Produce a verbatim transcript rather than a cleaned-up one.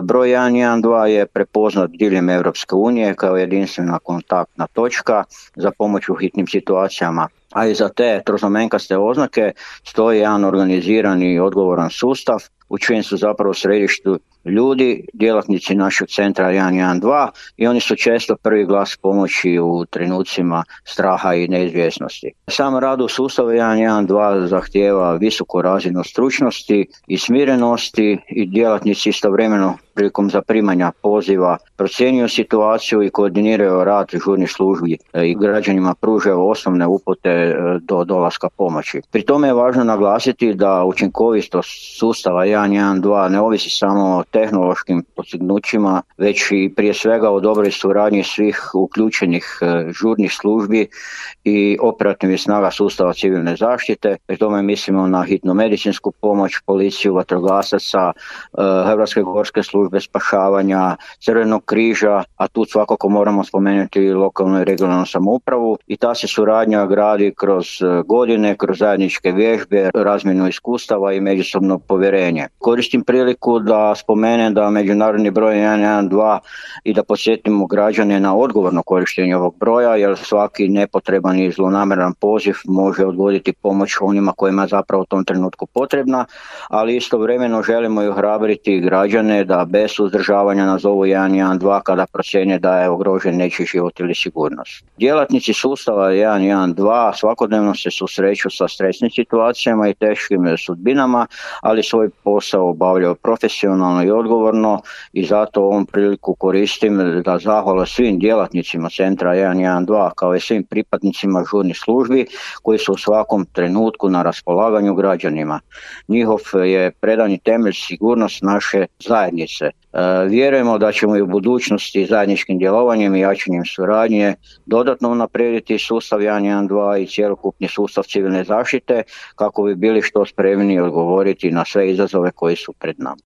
Broj jedan jedan dva je prepoznat diljem Europske unije kao jedinstvena kontaktna točka za pomoć u hitnim situacijama. A iza te troznamenkaste oznake stoji jedan organizirani i odgovoran sustav u čijem su zapravo središtu ljudi, djelatnici našeg centra jedan jedan dva i oni su često prvi glas pomoći u trenucima straha i neizvjesnosti. Sam rad u sustavu jedan jedan dva zahtijeva visoku razinu stručnosti i smirenosti i djelatnici istovremeno prilikom zaprimanja poziva procjenjuju situaciju i koordiniraju rad žurnih službi i građanima pružaju osnovne upute do dolaska pomoći. Pri tome je važno naglasiti da učinkovitost sustava jedan jedan dva ne ovisi samo o tehnološkim postignućima, već i prije svega o dobroj suradnji svih uključenih žurnih službi i operativnih snaga sustava civilne zaštite. Pri tome mislimo na hitnu medicinsku pomoć, policiju, vatrogasaca, Hrvatske gorske službe spašavanja, Crvenog križa, a tu svakako moramo spomenuti i lokalnu i regionalnu samoupravu i ta se suradnja gradi kroz godine, kroz zajedničke vježbe, razmjenu iskustava i međusobno povjerenje. Koristim priliku da spomenem da međunarodni broj jedan jedan dva i da podsjetimo građane na odgovorno korištenje ovog broja, jer svaki nepotreban i zlonamjeran poziv može odvoditi pomoć onima kojima je zapravo u tom trenutku potrebna, ali istovremeno želimo i ohrabriti građane da bez suzdržavanja nazovu jedan jedan dva kada procjene da je ugrožen nečiji život ili sigurnost. Djelatnici sustava jedan jedan dva svakodnevno se susreću sa stresnim situacijama i teškim sudbinama, ali svoj posao obavljaju profesionalno i odgovorno i zato ovom priliku koristim da zahvala svim djelatnicima centra jedan jedan dva kao i svim pripadnicima žurnih službi koji su u svakom trenutku na raspolaganju građanima. Njihov je predani temelj sigurnost naše zajednice. Vjerujemo da ćemo i u budućnosti zajedničkim djelovanjem i jačanjem suradnje dodatno unaprijediti sustav jedan jedan dva i cjelokupni sustav civilne zaštite kako bi bili što spremniji odgovoriti na sve izazove koji su pred nama.